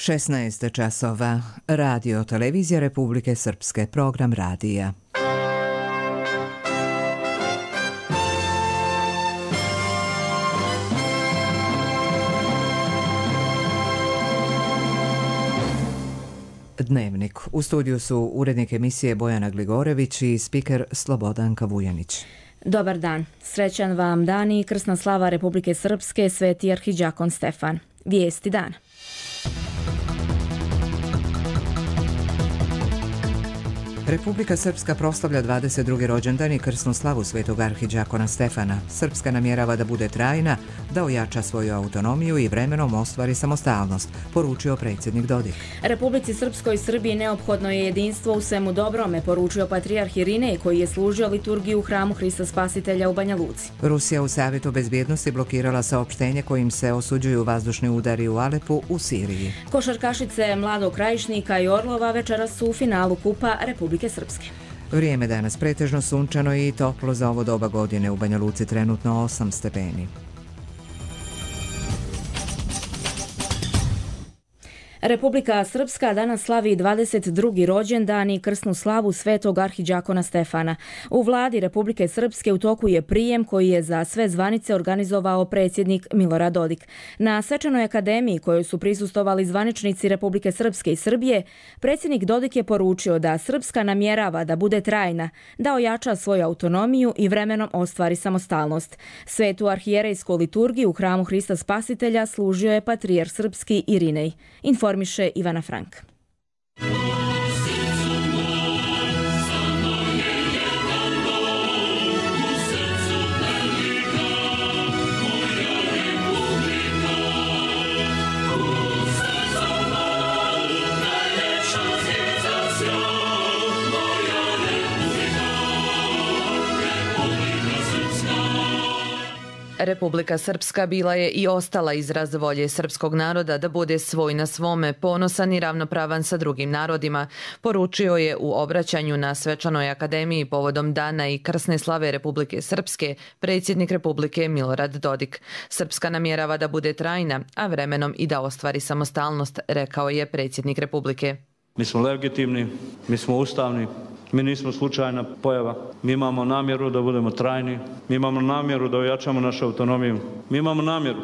16 časova. Radio Televizija Republike Srpske. Program radija. Dnevnik. U studiju su urednik emisije Bojana Gligorević i spiker Slobodanka Vujanić. Dobar dan. Srećan vam dan i krsna slava Republike Srpske, Sveti arhidžakon Stefan. Vijesti dana. Republika Srpska proslavlja 22. rođendan i krsnu slavu Svetog arhidžakona Stefana. Srpska namjerava da bude trajna, da ojača svoju autonomiju i vremenom ostvari samostalnost, poručio predsjednik Dodik. Republici Srpskoj i Srbiji neophodno je jedinstvo u svemu dobrome, poručio patrijarh Irinej koji je služio liturgiju u hramu Hrista Spasitelja u Banja Luci. Rusija u Savjetu bezbjednosti blokirala saopštenje kojim se osuđuju vazdušni udari u Alepu u Siriji. Košarkašice Mladog Krajišnika i Orlova večeras su u finalu Kupa Republike Srpske. Vrijeme danas pretežno sunčano i toplo za ovo doba godine. U Banja Luci trenutno 8 stepeni. Republika Srpska danas slavi 22. rođendan i krsnu slavu Svetog arhidžakona Stefana. U vladi Republike Srpske u toku je prijem koji je za sve zvanice organizovao predsjednik Milorad Dodik. Na svečanoj akademiji kojoj su prisustvovali zvaničnici Republike Srpske i Srbije, predsjednik Dodik je poručio da Srpska namjerava da bude trajna, da ojača svoju autonomiju i vremenom ostvari samostalnost. Svetu arhijerejsku liturgiju u hramu Hrista Spasitelja služio je patrijarh srpski Irinej. Informiše Ivana Frank. Republika Srpska bila je i ostala izraz volje srpskog naroda da bude svoj na svome, ponosan i ravnopravan sa drugim narodima, poručio je u obraćanju na svečanoj akademiji povodom dana i krsne slave Republike Srpske predsjednik Republike Milorad Dodik. Srpska namjerava da bude trajna, a vremenom i da ostvari samostalnost, rekao je predsjednik Republike. Mi smo legitimni, mi smo ustavni. Mi nismo slučajna pojava. Mi imamo namjeru da budemo trajni. Mi imamo namjeru da ojačamo našu autonomiju. Mi imamo namjeru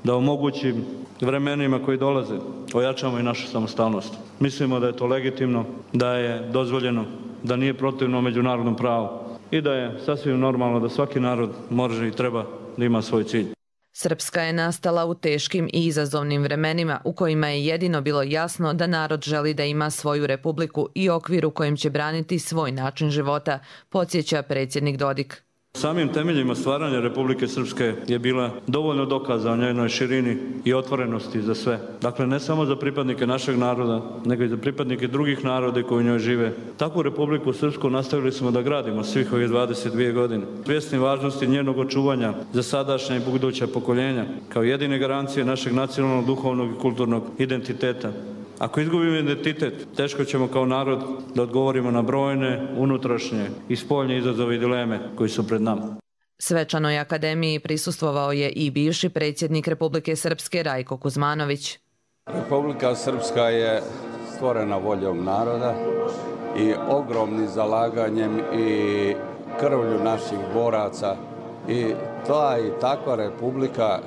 da omogućim vremenima koji dolaze ojačamo i našu samostalnost. Mislimo da je to legitimno, da je dozvoljeno, da nije protivno međunarodnom pravu i da je sasvim normalno da svaki narod može i treba da ima svoj cilj. Srpska je nastala u teškim i izazovnim vremenima u kojima je jedino bilo jasno da narod želi da ima svoju republiku i okvir u kojem će braniti svoj način života, podsjeća predsjednik Dodik. Samim temeljima stvaranja Republike Srpske je bila dovoljno dokaza o njenoj širini i otvorenosti za sve. Dakle, ne samo za pripadnike našeg naroda, nego i za pripadnike drugih naroda koji u njoj žive. Takvu Republiku Srpsku nastavili smo da gradimo svih ovih 22 godine. Svjesni važnosti njenog očuvanja za sadašnja i buduća pokoljenja, kao jedine garancije našeg nacionalnog, duhovnog i kulturnog identiteta. Ako izgubimo identitet, teško ćemo kao narod da odgovorimo na brojne, unutrašnje i spoljne izazove i dileme koji su pred nama. Svečanoj akademiji prisustvovao je i bivši predsjednik Republike Srpske Rajko Kuzmanović. Republika Srpska je stvorena voljom naroda i ogromnim zalaganjem i krvlju naših boraca i ta i takva republika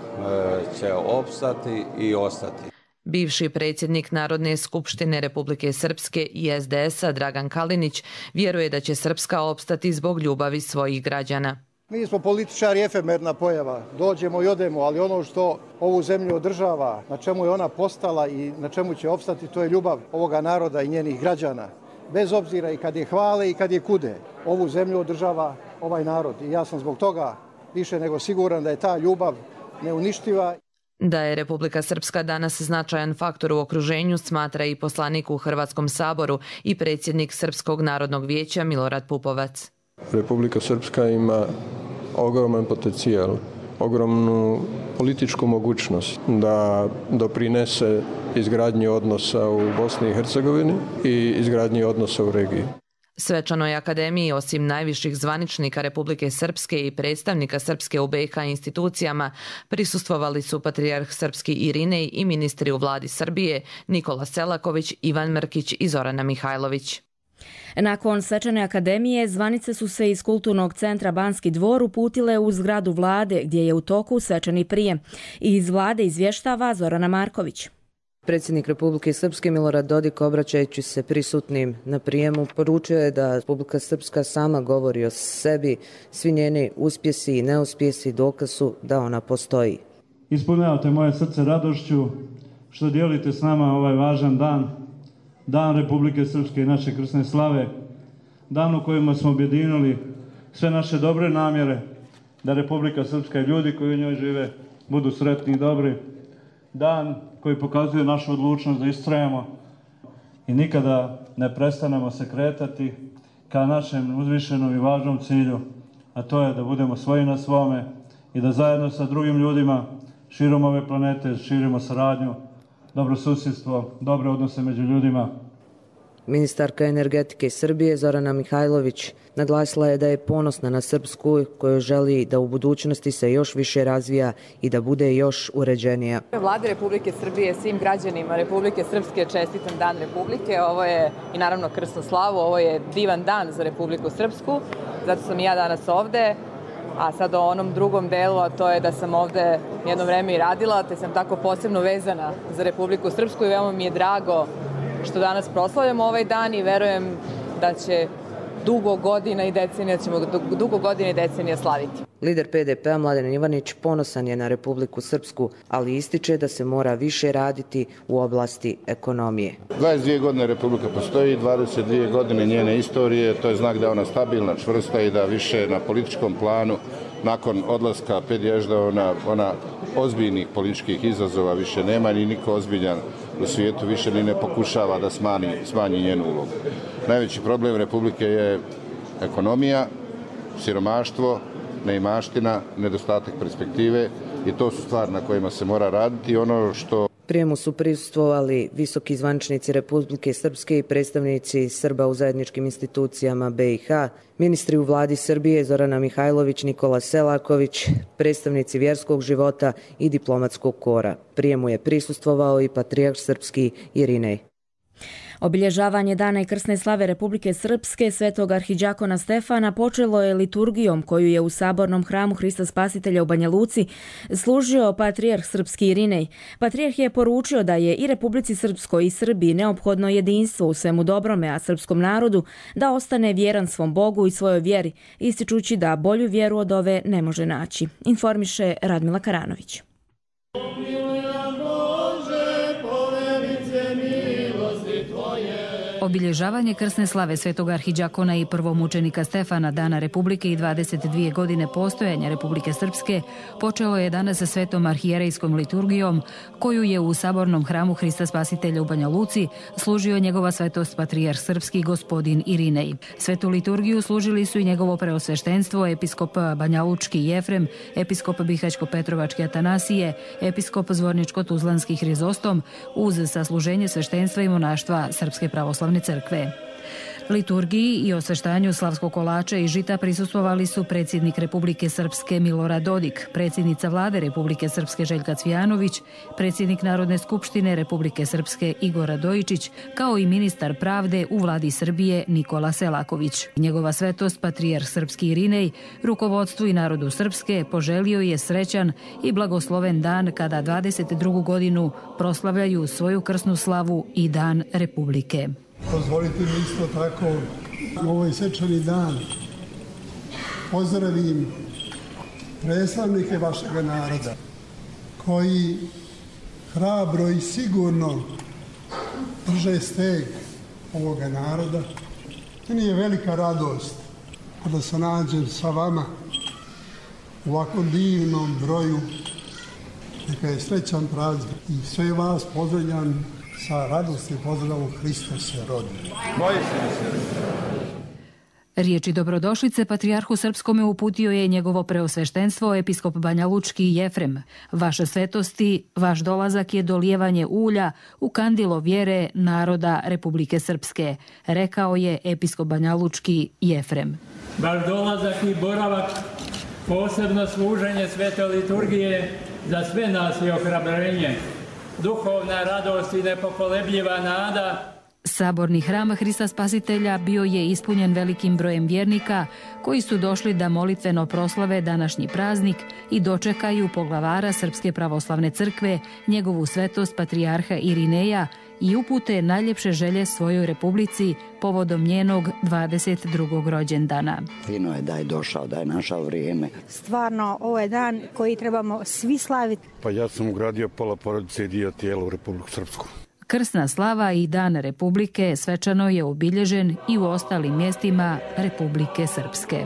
će opstati i ostati. Bivši predsjednik Narodne skupštine Republike Srpske i SDS-a Dragan Kalinić vjeruje da će Srpska opstati zbog ljubavi svojih građana. Mi smo političari efemerna pojava, dođemo i odemo, ali ono što ovu zemlju održava, na čemu je ona postala i na čemu će opstati, to je ljubav ovoga naroda i njenih građana. Bez obzira i kad je hvale i kad je kude, ovu zemlju održava ovaj narod i ja sam zbog toga više nego siguran da je ta ljubav neuništiva. Da je Republika Srpska danas značajan faktor u okruženju, smatra i poslanik u Hrvatskom saboru i predsjednik Srpskog narodnog vijeća Milorad Pupovac. Republika Srpska ima ogroman potencijal, ogromnu političku mogućnost da doprinese izgradnji odnosa u Bosni i Hercegovini i izgradnji odnosa u regiji. Svečanoj akademiji osim najviših zvaničnika Republike Srpske i predstavnika Srpske u BiH institucijama prisustvovali su patrijarh srpski Irinej i ministri u vladi Srbije Nikola Selaković, Ivan Mrkić i Zorana Mihajlović. Nakon svečane akademije, zvanice su se iz Kulturnog centra Banski dvor uputile u zgradu vlade gdje je u toku svečani prijem. Iz vlade izvještava Zorana Marković. Predsjednik Republike Srpske Milorad Dodik, obraćajući se prisutnim na prijemu, poručio je da Republika Srpska sama govori o sebi, svi njeni uspjesi i neuspjesi dokaz su da ona postoji. Ispunjavate moje srce radošću što dijelite s nama ovaj važan dan, Dan Republike Srpske i naše krsne slave, dan u kojima smo objedinili sve naše dobre namjere da Republika Srpska i ljudi koji u njoj žive budu sretni i dobri, dan koji pokazuje našu odlučnost da istrajemo i nikada ne prestanemo se kretati ka našem uzvišenom i važnom cilju, a to je da budemo svoji na svome i da zajedno sa drugim ljudima širom ove planete širimo saradnju, dobro susjedstvo, dobre odnose među ljudima. Ministarka energetike Srbije Zorana Mihajlović naglasila je da je ponosna na Srpsku koju želi da u budućnosti se još više razvija i da bude još uređenija. Vladi Republike Srbije, svim građanima Republike Srpske čestitam Dan Republike. Ovo je i naravno krsnu slavu, ovo je divan dan za Republiku Srpsku. Zato sam i ja danas ovde. A sad o onom drugom delu, a to je da sam ovde jedno vreme i radila, te sam tako posebno vezana za Republiku Srpsku i veoma mi je drago što danas proslavljamo ovaj dan i verujem da će dugo godina i decenija slaviti. Lider PDP-a Mladen Ivanić ponosan je na Republiku Srpsku, ali ističe da se mora više raditi u oblasti ekonomije. 22 godine Republika postoji, 22 godine njene istorije, to je znak da je ona stabilna, čvrsta i da više na političkom planu nakon odlaska Pedježda ona ozbiljnih političkih izazova više nema, ni niko ozbiljan u svijetu više ni ne pokušava da smanji njenu ulogu. Najveći problem Republike je ekonomija, siromaštvo, neimaština, nedostatak perspektive i to su stvari na kojima se mora raditi. Ono što Prijemu su prisustvovali visoki zvaničnici Republike Srpske i predstavnici Srba u zajedničkim institucijama BiH, ministri u vladi Srbije Zorana Mihajlović, Nikola Selaković, predstavnici vjerskog života i diplomatskog kora. Prijemu je prisustvovao i patrijarh srpski Irinej. Obilježavanje Dana i krsne slave Republike Srpske Svetog arhidžakona Stefana počelo je liturgijom koju je u Sabornom hramu Hrista Spasitelja u Banja Luci služio patrijarh srpski Irinej. Patrijarh je poručio da je i Republici Srpskoj i Srbiji neophodno jedinstvo u svemu dobrome, a srpskom narodu da ostane vjeran svom Bogu i svojoj vjeri, ističući da bolju vjeru od ove ne može naći. Informiše Radmila Karanović. Obilježavanje krsne slave Svetog arhidžakona i prvomučenika Stefana, Dana Republike i 22 godine postojanja Republike Srpske počelo je danas sa svetom arhijerejskom liturgijom koju je u Sabornom hramu Hrista Spasitelja u Banja Luci služio njegova svetost patrijarh srpski gospodin Irinej. Svetu liturgiju služili su i njegovo preosveštenstvo, episkop Banjalučki Jefrem, episkop Bihać-Petrovački Atanasije, episkop Zvorničko-Tuzlanski Hrizostom uz sasluženje sveštenstva i monaštva Srpske pravoslavne crkve. Liturgiji i osveštanju slavskog kolača i žita prisustvovali su predsjednik Republike Srpske Milorad Dodik, predsjednica vlade Republike Srpske Željka Cvijanović, predsjednik Narodne skupštine Republike Srpske Igor Radojičić, kao i ministar pravde u vladi Srbije Nikola Selaković. Njegova svetost patrijarh srpski Irinej rukovodstvu i narodu Srpske poželio je srećan i blagosloven dan kada 22. godinu proslavljaju svoju krsnu slavu i Dan Republike. Dozvolite mi isto tako u ovaj svečani dan pozdravim predstavnike vašeg naroda koji hrabro i sigurno drže steg ovoga naroda. Meni je velika radost kada se nađem sa vama u ovakvom divnom broju. Neka je srećan praznik i sve vas pozdravljam sa radostim pozdravom Hristos se rodi. Riječi dobrodošlice patrijarhu srpskome uputio je njegovo preosveštenstvo episkop Banja Lučki Jefrem. Vaša svetosti, vaš dolazak je dolijevanje ulja u kandilo vjere naroda Republike Srpske, rekao je episkop Banja Lučki Jefrem. Vaš dolazak i boravak, posebno služenje svete liturgije za sve nas je ohrabrenje, duhovna radost i nepokolebljiva nada. Saborni hram Hrista Spasitelja bio je ispunjen velikim brojem vjernika koji su došli da molitveno proslave današnji praznik i dočekaju poglavara Srpske pravoslavne crkve, njegovu svetost patrijarha Irineja i upute najljepše želje svojoj republici povodom njenog 22. rođendana. Fino je da je došao, da je našao vrijeme. Stvarno, ovo je dan koji trebamo svi slaviti. Pa ja sam ugradio pola porodice i dio tijela u Republiku Srpsku. Krsna slava i Dan Republike svečano je obilježen i u ostalim mjestima Republike Srpske.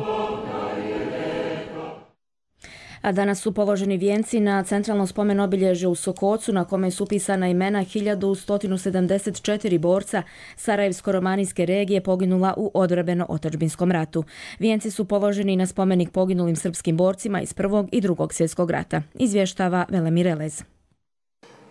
A danas su položeni vijenci na centralno spomen obilježje u Sokocu, na kome su upisana imena 1174 borca Sarajevsko-romanijske regije poginula u odbrambeno-otadžbinskom ratu. Vijenci su položeni na spomenik poginulim srpskim borcima iz Prvog i Drugog svjetskog rata. Izvještava Velemir Elez.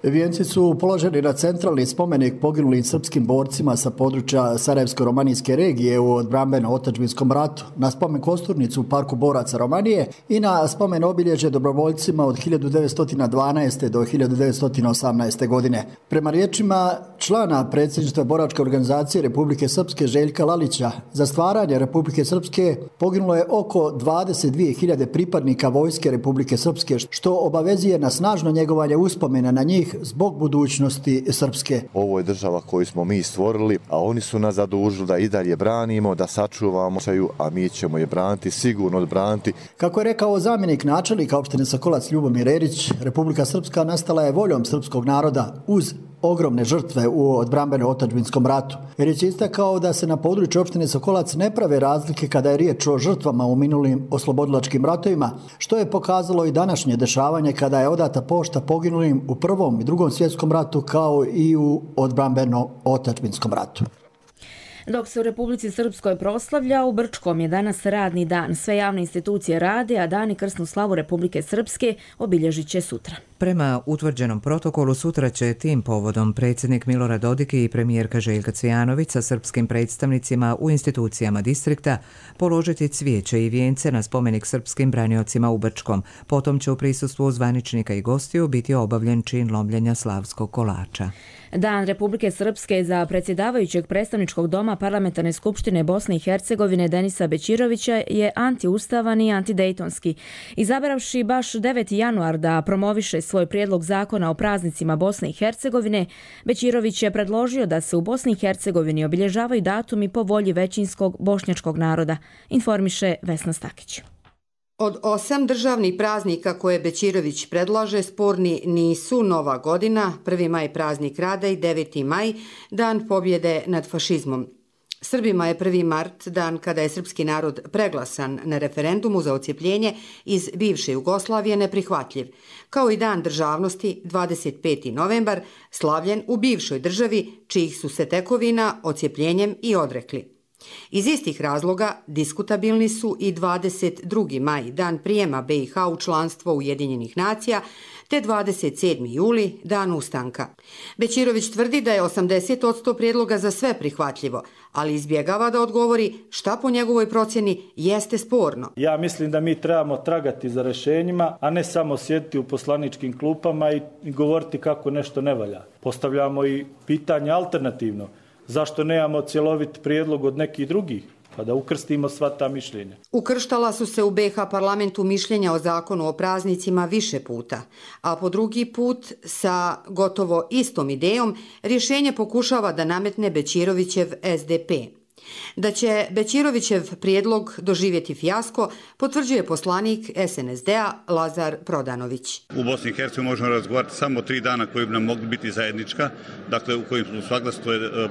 Vijenci su položeni na centralni spomenik poginulim srpskim borcima sa područja Sarajevsko-romanijske regije u odbrambeno-otadžbinskom ratu, na spomen kosturnicu u Parku boraca Romanije i na spomen obilježje dobrovoljcima od 1912. do 1918. godine. Prema riječima člana predsjedništva boračke organizacije Republike Srpske Željka Lalića, za stvaranje Republike Srpske poginulo je oko 22.000 pripadnika vojske Republike Srpske, što obavezuje na snažno njegovanje uspomena na njih zbog budućnosti Srpske. Ovo je država koju smo mi stvorili, a oni su nas zadužili da i dalje branimo, da sačuvamo, a mi ćemo je braniti, sigurno odbraniti. Kako je rekao zamjenik načelnika opštine Sokolac Ljubomir Erić, Republika Srpska nastala je voljom srpskog naroda uz ogromne žrtve u odbrambeno-otadžbinskom ratu. Erić je istakao da se na području opštine Sokolac ne prave razlike kada je riječ o žrtvama u minulim oslobodilačkim ratovima, što je pokazalo i današnje dešavanje kada je odata pošta poginulim u Prvom i Drugom svjetskom ratu kao i u odbrambeno-otadžbinskom ratu. Dok se u Republici Srpskoj proslavlja, u Brčkom je danas radni dan. Sve javne institucije rade, a dan i krsnu slavu Republike Srpske obilježit će sutra. Prema utvrđenom protokolu sutra će tim povodom predsjednik Milorad Dodik i premijerka Željka Cvijanović sa srpskim predstavnicima u institucijama distrikta položiti cvijeće i vijence na spomenik srpskim braniocima u Brčkom. Potom će u prisustvu zvaničnika i gostiju biti obavljen čin lomljenja slavskog kolača. Dan Republike Srpske za predsjedavajućeg predstavničkog doma Parlamentarne skupštine Bosne i Hercegovine Denisa Bećirovića je antiustavan i antidejtonski. Izabravši baš 9. januar da promoviše svoj prijedlog zakona o praznicima Bosne i Hercegovine, Bećirović je predložio da se u Bosni i Hercegovini obilježavaju datumi po volji većinskog bošnjačkog naroda, informiše Vesna Stakić. Od 8 državnih praznika koje Bećirović predlaže, sporni nisu Nova godina, 1. maj praznik rada i 9. maj dan pobjede nad fašizmom. Srbima je 1. mart dan kada je srpski narod preglasan na referendumu za odcijepljenje iz bivše Jugoslavije neprihvatljiv, kao i dan državnosti 25. novembar slavljen u bivšoj državi čijih su se tekovina odcijepljenjem i odrekli. Iz istih razloga diskutabilni su i 22. maj, dan prijema BiH u članstvo Ujedinjenih nacija, te 27. juli, dan ustanka. Bećirović tvrdi da je 80% prijedloga za sve prihvatljivo, ali izbjegava da odgovori šta po njegovoj procjeni jeste sporno. Ja mislim da mi trebamo tragati za rješenjima, a ne samo sjediti u poslaničkim klupama i govoriti kako nešto ne valja. Postavljamo i pitanje alternativno. Zašto nemamo cjelovit prijedlog od nekih drugih, pa da ukrstimo sva ta mišljenja? Ukrštala su se u BiH parlamentu mišljenja o zakonu o praznicima više puta, a po drugi put sa gotovo istom idejom rješenje pokušava da nametne Bećirovićev SDP. Da će Bećirovićev prijedlog doživjeti fijasko, potvrđuje poslanik SNSD-a Lazar Prodanović. U Bosni i Hercegovini možemo razgovarati samo 3 dana koji bi nam mogli biti zajednička, dakle u kojim su saglasno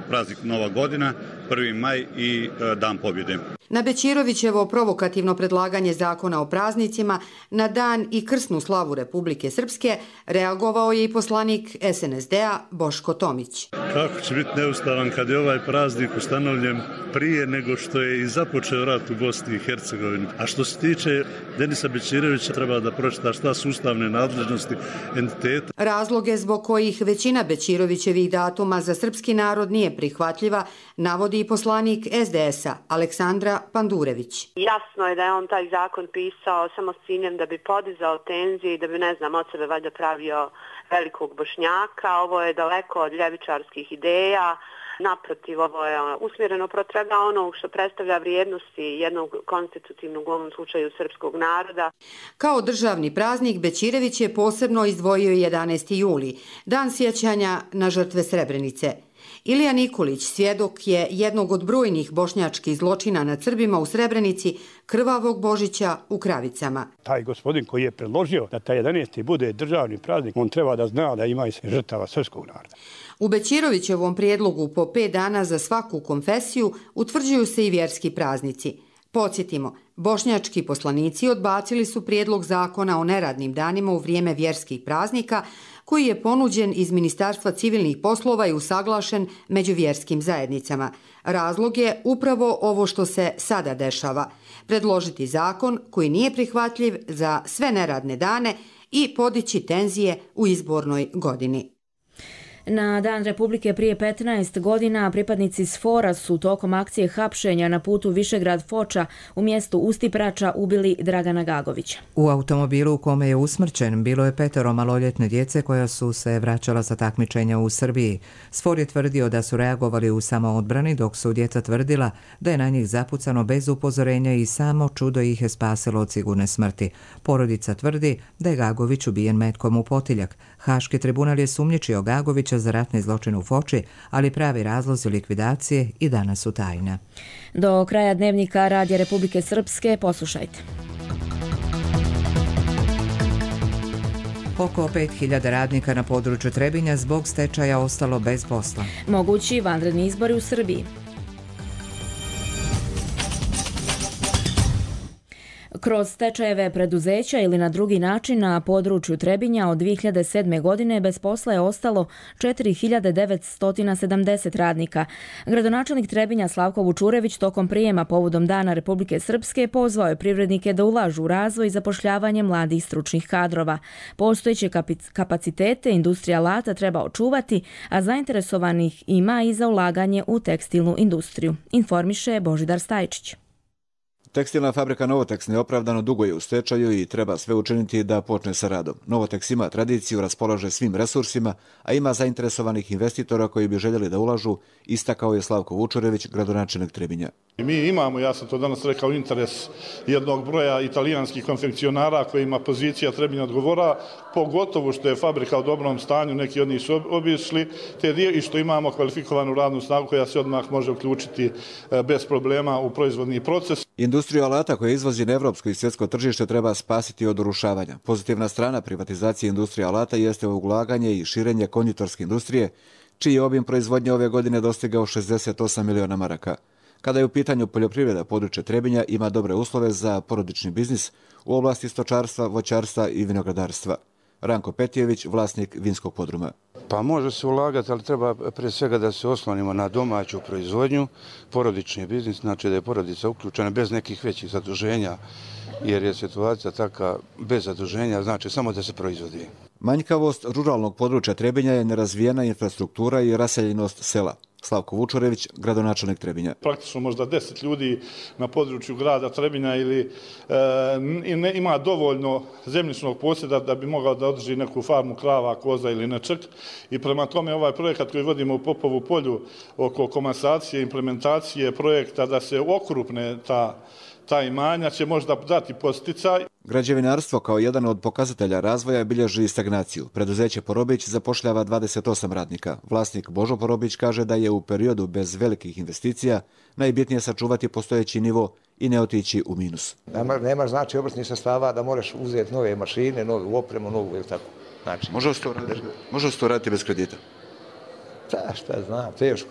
praznik Nova godina 1. maj i Dan pobjede. Na Bećirovićevo provokativno predlaganje zakona o praznicima na dan i krsnu slavu Republike Srpske reagovao je i poslanik SNSD-a Boško Tomić. Kako će biti neustavan kad je ovaj praznik ustanovljen prije nego što je i započeo rat u Bosni i Hercegovini. A što se tiče Denisa Bećirovića, treba da pročita šta su ustavne nadležnosti entiteta. Razloge zbog kojih većina Bećirovićevih datuma za srpski narod nije prihvatljiva, navodi i poslanik SDS-a Aleksandra Pandurević. Jasno je da je on taj zakon pisao samo s ciljem da bi podizao tenzije i da bi, od sebe valjda pravio velikog Bošnjaka. Ovo je daleko od ljevičarskih ideja. Naprotiv, ovo je usmjereno protiv onog što predstavlja vrijednosti jednog konstitutivnog, u ovom slučaju srpskog naroda. Kao državni praznik Bećirević je posebno izdvojio 11. juli, dan sjećanja na žrtve Srebrenice. Ilija Nikolić, svjedok je jednog od brojnih bošnjačkih zločina nad Srbima u Srebrenici, krvavog Božića u Kravicama. Taj gospodin koji je predložio da taj 11. bude državni praznik, on treba da zna da ima i žrtava srpskog naroda. U Bećirovićevom prijedlogu po 5 dana za svaku konfesiju utvrđuju se i vjerski praznici. Podsjetimo, bošnjački poslanici odbacili su prijedlog zakona o neradnim danima u vrijeme vjerskih praznika, koji je ponuđen iz Ministarstva civilnih poslova i usaglašen među vjerskim zajednicama. Razlog je upravo ovo što se sada dešava. Predložiti zakon koji nije prihvatljiv za sve neradne dane i podići tenzije u izbornoj godini. Na Dan Republike prije 15 godina pripadnici SFOR-a su tokom akcije hapšenja na putu Višegrad-Foča u mjestu Ustiprača ubili Dragana Gagovića. U automobilu u kome je usmrćen bilo je 5 maloljetne djece koja su se vraćala sa takmičenja u Srbiji. SFOR je tvrdio da su reagovali u samoodbrani, dok su djeca tvrdila da je na njih zapucano bez upozorenja i samo čudo ih je spasilo od sigurne smrti. Porodica tvrdi da je Gagović ubijen metkom u potiljak. Haški tribunal je sumnjičio Gagovića za ratni zločin u Foči, ali pravi razlozi likvidacije i danas su tajna. Do kraja dnevnika Radija Republike Srpske poslušajte. Oko 5000 radnika na području Trebinja zbog stečaja ostalo bez posla. Mogući vanredni izbori u Srbiji. Kroz stečajeve preduzeća ili na drugi način na području Trebinja od 2007. godine bez posla je ostalo 4970 radnika. Gradonačelnik Trebinja Slavko Vučurević tokom prijema povodom Dana Republike Srpske pozvao je privrednike da ulažu u razvoj i zapošljavanje mladih stručnih kadrova. Postojeće kapacitete industrija alata treba očuvati, a zainteresovanih ima i za ulaganje u tekstilnu industriju, informiše Božidar Stajčić. Tekstilna fabrika Novoteks neopravdano dugo je u stečaju i treba sve učiniti da počne sa radom. Novoteks ima tradiciju, raspolaže svim resursima, a ima zainteresovanih investitora koji bi željeli da ulažu, istakao je Slavko Vučurević, gradonačelnik Trebinja. Mi imamo, ja sam to danas rekao, interes jednog broja italijanskih konfekcionara kojima pozicija Trebinja odgovora, pogotovo što je fabrika u dobrom stanju, neki od njih su obišli, i što imamo kvalifikovanu radnu snagu koja se odmah može uključiti bez problema u proizvodni proces. Industriju alata koja izvozi na evropsko i svjetsko tržište treba spasiti od urušavanja. Pozitivna strana privatizacije industrije alata jeste ulaganje i širenje konditorske industrije, čiji je obim proizvodnje ove godine dostigao 68 miliona maraka. Kada je u pitanju poljoprivreda, područje Trebinja ima dobre uslove za porodični biznis u oblasti stočarstva, voćarstva i vinogradarstva. Ranko Petijević, vlasnik vinskog podruma. Pa može se ulagati, ali treba prije svega da se oslonimo na domaću proizvodnju, porodični biznis, znači da je porodica uključena bez nekih većih zaduženja, jer je situacija taka bez zaduženja, znači samo da se proizvodi. Manjkavost ruralnog područja Trebinja je nerazvijena infrastruktura i raseljenost sela. Slavko Vučurević, gradonačelnik Trebinja. Praktično možda 10 ljudi na području grada Trebinja ili ima dovoljno zemljišnog posjeda da bi mogao da održi neku farmu krava, koza ili nečeg. I prema tome ovaj projekat koji vodimo u Popovu polju oko komasacije, implementacije projekta da se okrupne ta imanja će možda dati posticaj. Građevinarstvo kao jedan od pokazatelja razvoja bilježi stagnaciju. Preduzeće Porobić zapošljava 28 radnika. Vlasnik Božo Porobić kaže da je u periodu bez velikih investicija najbitnije sačuvati postojeći nivo i ne otići u minus. Nemaš znači obrtnih sredstava da moraš uzeti nove mašine, novu opremu, novu ili tako. Znači, može se to raditi bez kredita? Šta znam, teško.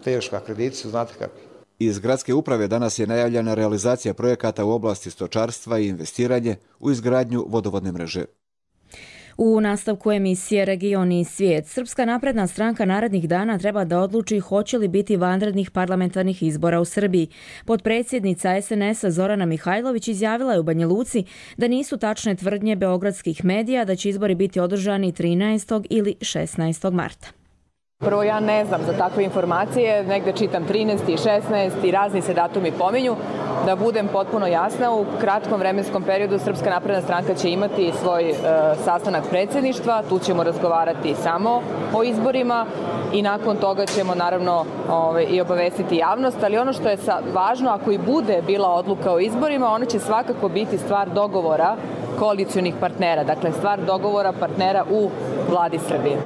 teška, krediti su, znate kako. Iz gradske uprave danas je najavljena realizacija projekata u oblasti stočarstva i investiranje u izgradnju vodovodne mreže. U nastavku emisije Region i svijet, Srpska napredna stranka narednih dana treba da odluči hoće li biti vanrednih parlamentarnih izbora u Srbiji. Potpredsjednica SNS-a Zorana Mihajlović izjavila je u Banja Luci da nisu tačne tvrdnje beogradskih medija da će izbori biti održani 13. ili 16. marta. Prvo, ja ne znam za takve informacije, negde čitam 13. i 16. i razni se datumi pominju. Da budem potpuno jasna, u kratkom vremenskom periodu Srpska napredna stranka će imati svoj sastanak predsjedništva, tu ćemo razgovarati samo o izborima i nakon toga ćemo naravno i obavestiti javnost, ali ono što je važno, ako i bude bila odluka o izborima, ona će svakako biti stvar dogovora koalicionih partnera, dakle stvar dogovora partnera u vladi Srbije.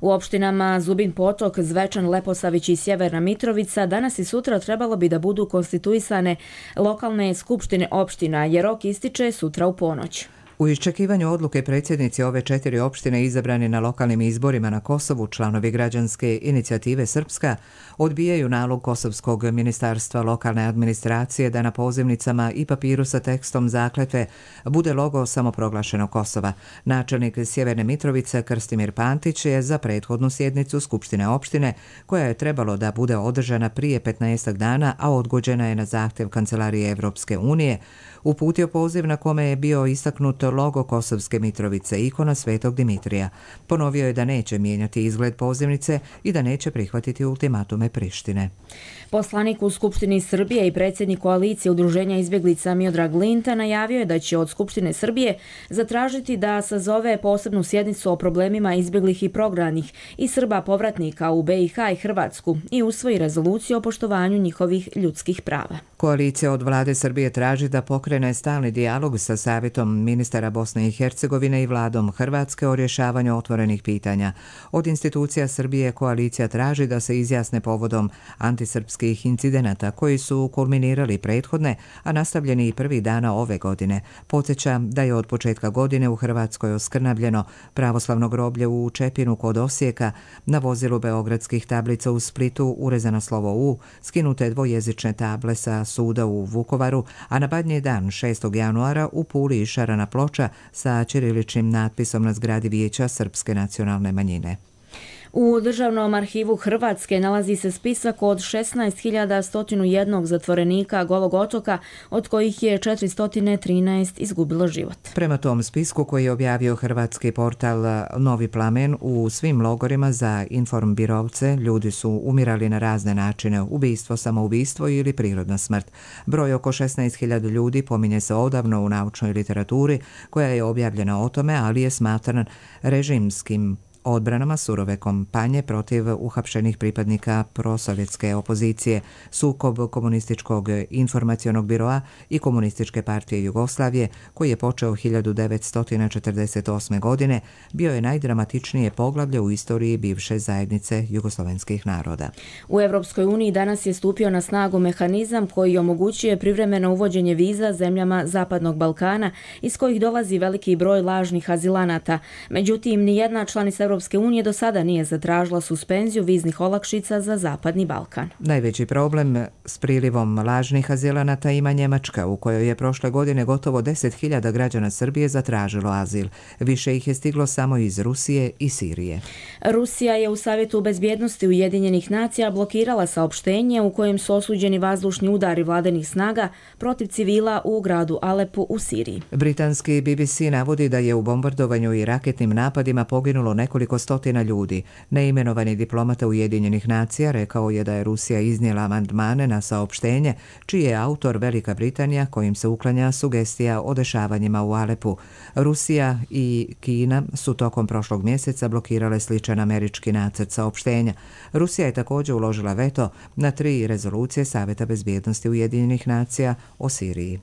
U opštinama Zubin Potok, Zvečan, Leposavić i Sjeverna Mitrovica danas i sutra trebalo bi da budu konstituisane lokalne skupštine opština, jer rok ističe sutra u ponoć. U iščekivanju odluke predsjednici ove 4 opštine izabrani na lokalnim izborima na Kosovu, članovi građanske inicijative Srpska odbijaju nalog Kosovskog ministarstva lokalne administracije da na pozivnicama i papiru sa tekstom zakletve bude logo samoproglašenog Kosova. Načelnik Sjeverne Mitrovice Krstimir Pantić je za prethodnu sjednicu Skupštine opštine, koja je trebalo da bude održana prije 15 dana, a odgođena je na zahtjev Kancelarije Evropske unije, uputio poziv na kome je bio istaknut logo Kosovske Mitrovice, ikona Svetog Dimitrija. Ponovio je da neće mijenjati izgled pozivnice i da neće prihvatiti ultimatume Prištine. Poslanik u Skupštini Srbije i predsjednik koalicije Udruženja izbjeglica Miodrag Linta najavio je da će od Skupštine Srbije zatražiti da sazove posebnu sjednicu o problemima izbjeglih i prognanih i Srba povratnika u BiH i Hrvatsku i usvoji rezoluciju o poštovanju njihovih ljudskih prava. Koalicija od vlade Srbije traži da pokrene stalni dijalog sa Savjetom ministara Bosne i Hercegovine i vladom Hrvatske o rješavanju otvorenih pitanja. Od institucija Srbije koalicija traži da se izjasne povodom antisrpskih incidenata koji su kulminirali prethodne, a nastavljeni i prvi dana ove godine. Podsjeća da je od početka godine u Hrvatskoj oskrnavljeno pravoslavno groblje u Čepinu kod Osijeka, na vozilu beogradskih tablica u Splitu urezano slovo U, skinute dvojezične table sa suda u Vukovaru, a na Badnji dan 6. januara u Puli išarana ploča sa ćiriličnim natpisom na zgradi Vijeća srpske nacionalne manjine. U Državnom arhivu Hrvatske nalazi se spisak od 16.101 zatvorenika Golog otoka, od kojih je 413 izgubilo život. Prema tom spisku koji je objavio hrvatski portal Novi Plamen, u svim logorima za informbirovce ljudi su umirali na razne načine, ubistvo, samoubistvo ili prirodna smrt. Broj oko 16.000 ljudi pominje se odavno u naučnoj literaturi koja je objavljena o tome, ali je smatran režimskim odbranama surove kampanje protiv uhapšenih pripadnika prosovjetske opozicije, sukob Komunističkog informacionog biroa i Komunističke partije Jugoslavije, koji je počeo 1948. godine, bio je najdramatičnije poglavlje u istoriji bivše zajednice jugoslovenskih naroda. U Evropskoj uniji danas je stupio na snagu mehanizam koji omogućuje privremeno uvođenje viza zemljama Zapadnog Balkana, iz kojih dolazi veliki broj lažnih azilanata. Međutim, nijedna članica Evropske unije do sada nije zatražila suspenziju viznih olakšica za Zapadni Balkan. Najveći problem s prilivom lažnih azilanata ima Njemačka, u kojoj je prošle godine gotovo 10.000 građana Srbije zatražilo azil. Više ih je stiglo samo iz Rusije i Sirije. Rusija je u Savjetu bezbjednosti Ujedinjenih nacija blokirala saopštenje u kojem su osuđeni vazdušni udari vladinih snaga protiv civila u gradu Alepu u Siriji. Britanski BBC navodi da je u bombardovanju i raketnim napadima poginulo nekoliko stotina ljudi. Neimenovani diplomata Ujedinjenih nacija rekao je da je Rusija iznijela amandmane na saopštenje, čiji je autor Velika Britanija, kojim se uklanja sugestija o dešavanjima u Alepu. Rusija i Kina su tokom prošlog mjeseca blokirale sličan američki nacrt saopštenja. Rusija je također uložila veto na 3 rezolucije Savjeta bezbjednosti Ujedinjenih nacija o Siriji.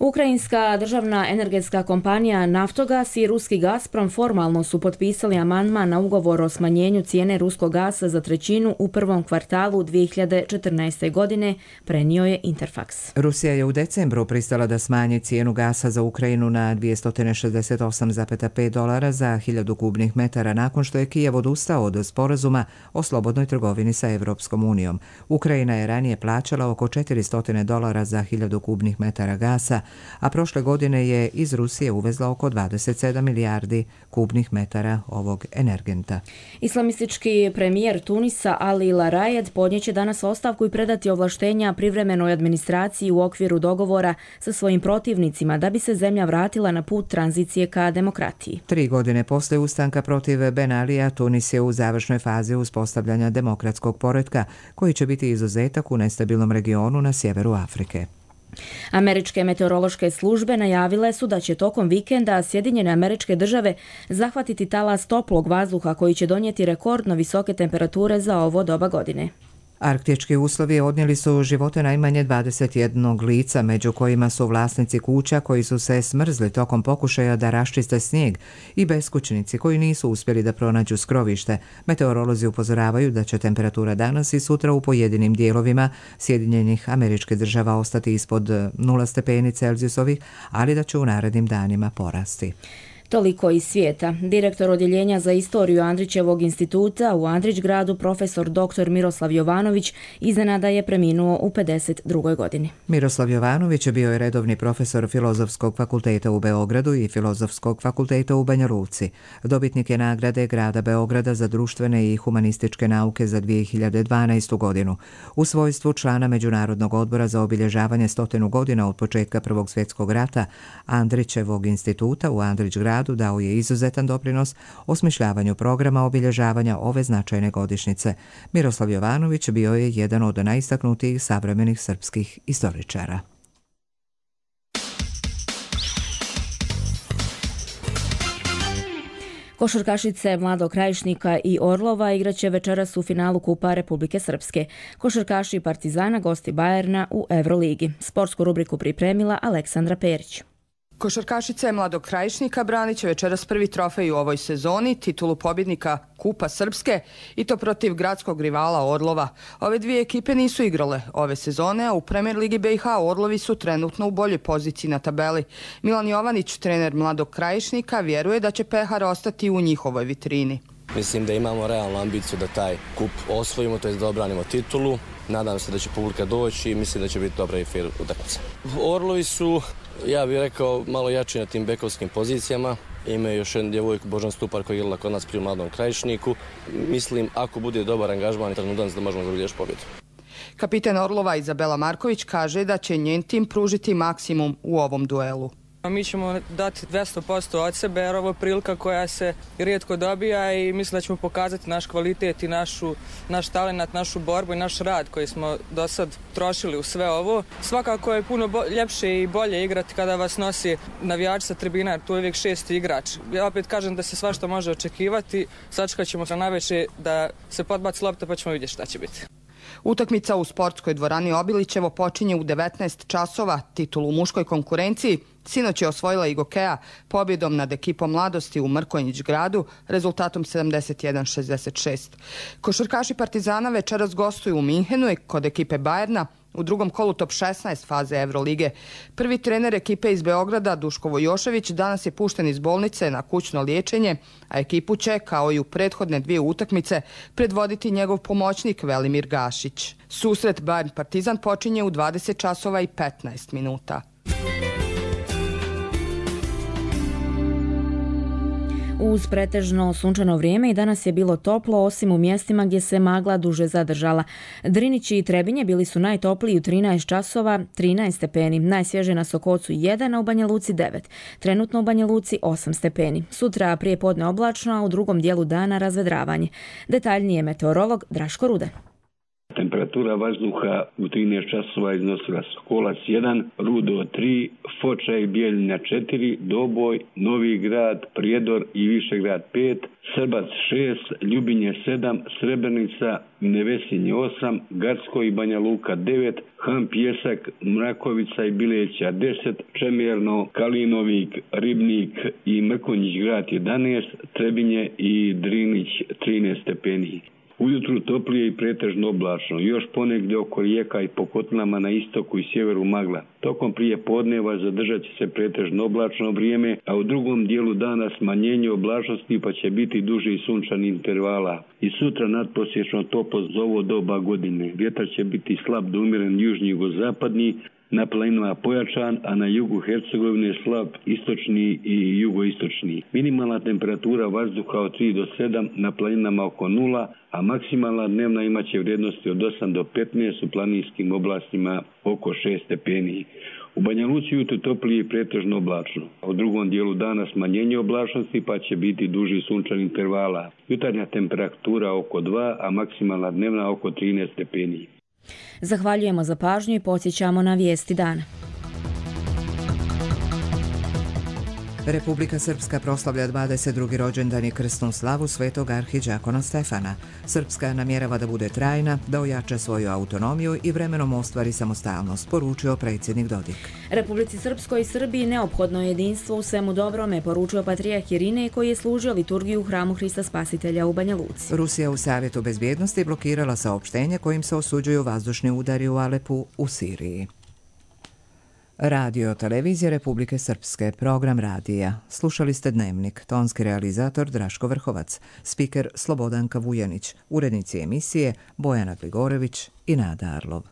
Ukrajinska državna energetska kompanija Naftogas i ruski Gazprom formalno su potpisali amandman na ugovor o smanjenju cijene ruskog gasa za trećinu u prvom kvartalu 2014. godine, prenio je Interfax. Rusija je u decembru pristala da smanji cijenu gasa za Ukrajinu na $268,5 za 1000 kubnih metara nakon što je Kijev odustao od sporazuma o slobodnoj trgovini sa Evropskom unijom. Ukrajina je ranije plaćala oko $400 za 1000 kubnih metara gasa, a prošle godine je iz Rusije uvezla oko 27 milijardi kubnih metara ovog energenta. Islamistički premijer Tunisa Ali Larayed podnijeće danas ostavku i predati ovlaštenja privremenoj administraciji u okviru dogovora sa svojim protivnicima da bi se zemlja vratila na put tranzicije ka demokratiji. 3 godine posle ustanka protiv Ben Alija, Tunis je u završnoj fazi uspostavljanja demokratskog poretka koji će biti izuzetak u nestabilnom regionu na sjeveru Afrike. Američke meteorološke službe najavile su da će tokom vikenda Sjedinjene Američke Države zahvatiti talas toplog vazduha koji će donijeti rekordno visoke temperature za ovo doba godine. Arktički uslovi odnijeli su živote najmanje 21 lica, među kojima su vlasnici kuća koji su se smrzli tokom pokušaja da raščiste snijeg i beskućnici koji nisu uspjeli da pronađu skrovište. Meteorolozi upozoravaju da će temperatura danas i sutra u pojedinim dijelovima Sjedinjenih Američkih Država ostati ispod 0 stepeni Celzijusovih, ali da će u narednim danima porasti. Toliko iz svijeta. Direktor odjeljenja za istoriju Andrićevog instituta u Andrićgradu, profesor dr. Miroslav Jovanović, iznenada je preminuo u 52. godini. Miroslav Jovanović bio je redovni profesor Filozofskog fakulteta u Beogradu i Filozofskog fakulteta u Banja Luci. Dobitnik je nagrade Grada Beograda za društvene i humanističke nauke za 2012. godinu. U svojstvu člana Međunarodnog odbora za obilježavanje 100 godina od početka Prvog svjetskog rata Andrićevog instituta u Andrićgradu dao je izuzetan doprinos osmišljavanju programa obilježavanja ove značajne godišnjice. Miroslav Jovanović bio je jedan od najistaknutijih savremenih srpskih istoričara. Košarkašice Mladog Krajišnika i Orlova igraće večeras u finalu Kupa Republike Srpske. Košarkaši Partizana gosti Bajerna u Evroligi. Sportsku rubriku pripremila Aleksandra Perić. Košarkašice Mladog Krajišnika branit će večeras prvi trofej u ovoj sezoni, titulu pobjednika Kupa Srpske, i to protiv gradskog rivala Orlova. Ove dvije ekipe nisu igrale ove sezone, a u Premier Ligi BiH Orlovi su trenutno u boljoj poziciji na tabeli. Milan Jovanić, trener Mladog Krajišnika, vjeruje da će pehar ostati u njihovoj vitrini. Mislim da imamo realnu ambiciju da taj kup osvojimo, to je da obranimo titulu. Nadam se da će publika doći i mislim da će biti dobra i fair utakmica. Orlovi su, ja bih rekao, malo jači na tim bekovskim pozicijama. Imaju još jedan djevojku, Božan Stupar, koji je igrala kod nas pri Mladom Krajišniku. Mislim, ako bude dobar angažman, trenutan da možemo dobiti još pobjedu. Kapitan Orlova Izabela Marković kaže da će njen tim pružiti maksimum u ovom duelu. Mi ćemo dati 200% od sebe jer ovo je prilika koja se rijetko dobija i mislim da ćemo pokazati naš kvalitet i naš talent, našu borbu i naš rad koji smo do sad trošili u sve ovo. Svakako je puno ljepše i bolje igrati kada vas nosi navijač sa tribina jer tu je uvijek 6. igrač. Ja opet kažem da se svašta može očekivati, sačekat ćemo se navečer da se podbaci lopta pa ćemo vidjeti šta će biti. Utakmica u sportskoj dvorani Obilićevo počinje u 19 časova. Titulu u muškoj konkurenciji sinoć je osvojila i Gokeja pobjedom nad ekipom Mladosti u Mrkonjić-gradu rezultatom 71-66. Košarkaši Partizana večeras gostuju u Minhenu i kod ekipe Bajerna u drugom kolu top 16 faze Evrolige. Prvi trener ekipe iz Beograda, Duško Vojošević, danas je pušten iz bolnice na kućno liječenje, a ekipu će, kao i u prethodne dvije utakmice, predvoditi njegov pomoćnik Velimir Gašić. Susret Bayern-Partizan počinje u 20 časova i 15 minuta. Uz pretežno sunčano vrijeme i danas je bilo toplo, osim u mjestima gdje se magla duže zadržala. Drinić i Trebinje bili su najtopliji u 13 časova, 13 stepeni. Najsvježe na Sokocu 1, a u Banja Luci 9. Trenutno u Banja Luci 8 stepeni. Sutra prije podne oblačno, a u drugom dijelu dana razvedravanje. Detaljnije meteorolog Draško Rude. Temperatura vazduha u 13 časova iznosila Sokolac 1, Rudo 3, Foča i Bijeljina 4, Doboj, Novi Grad, Prijedor i Višegrad 5, Srbac 6, Ljubinje 7, Srebrenica, Nevesinje 8, Gacko i Banja Luka 9, Han Pjesak, Mrakovica i Bileća 10, Čemerno, Kalinovik, Ribnik i Mrkonjić Grad 11, Trebinje i Drinić 13 stepeni. Ujutru toplije i pretežno oblačno, još ponegdje oko rijeka i po kotlinama na istoku i sjeveru magla. Tokom prije podneva zadržat će se pretežno oblačno vrijeme, a u drugom dijelu dana smanjenje oblačnosti pa će biti duži sunčani intervala. I sutra nadprosječno toplo za ovo doba godine. Vjetar će biti slab do umjeren južni jugozapadni, na planinama pojačan, a na jugu Hercegovine slab istočni i jugoistočni. Minimalna temperatura vazduha od 3 do 7, na planinama oko 0, a maksimalna dnevna imaće vrijednosti od 8 do 15, u planinskim oblastima oko 6 stepeni. U Banja Luci jutro toplije i pretežno oblačno. U drugom dijelu dana smanjenje oblačnosti pa će biti duži sunčani intervala. Jutarnja temperatura oko 2, a maksimalna dnevna oko 13 stepeni. Zahvaljujemo za pažnju i podsjećamo na vijesti dana. Republika Srpska proslavlja 22. rođendan i krsnu slavu svetog arhidžakona Stefana. Srpska namjerava da bude trajna, da ojača svoju autonomiju i vremenom ostvari samostalnost, poručio predsjednik Dodik. Republici Srpskoj i Srbiji neophodno je jedinstvo u svemu dobrome, poručio patrijarh Irinej koji je služio liturgiju u hramu Hrista Spasitelja u Banja Luci. Rusija u Savjetu bezbjednosti blokirala saopštenje kojim se osuđuju vazdušni udari u Alepu u Siriji. Radio Televizija Republike Srpske, program radija. Slušali ste Dnevnik, tonski realizator Draško Vrhovac, spiker Slobodanka Vujanić, urednici emisije Bojana Gligorević i Nada Arlov.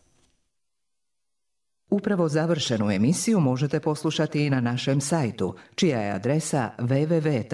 Upravo završenu emisiju možete poslušati i na našem sajtu, čija je adresa www.rtrs.tv.